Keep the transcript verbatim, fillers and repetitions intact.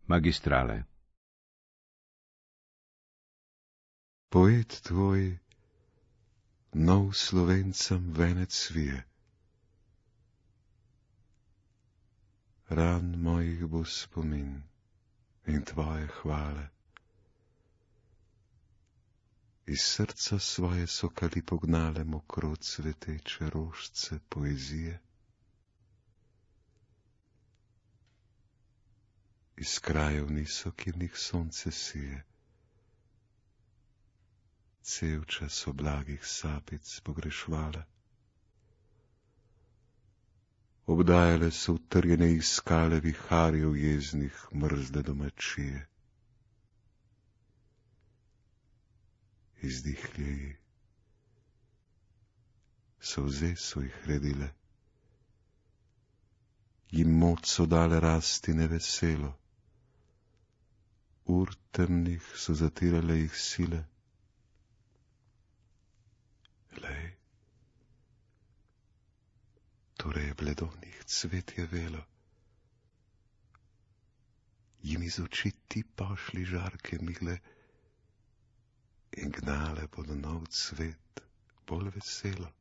Magistrale. Poet tvoj nov Slovencem venec svije. Ran mojih bo spomin in tvoje hvale. Iz srca svoje so kali pognale mokro cveteče rožce poezije. Iz krajev niso, kjer sonce sije. Cel čas oblagih sapic pogrešvale. Obdajale so utrjene iskale viharjev jeznih mrzle domačije. Izdihljeji, solze so jih redile, jim moč so dale rasti neveselo, ur temnih so zatirale jih sile. Lej, torej je bledovnih cvet je velo, jim iz oči ti pošli žarke mile in gnale bodo nov cvet bolj veselo.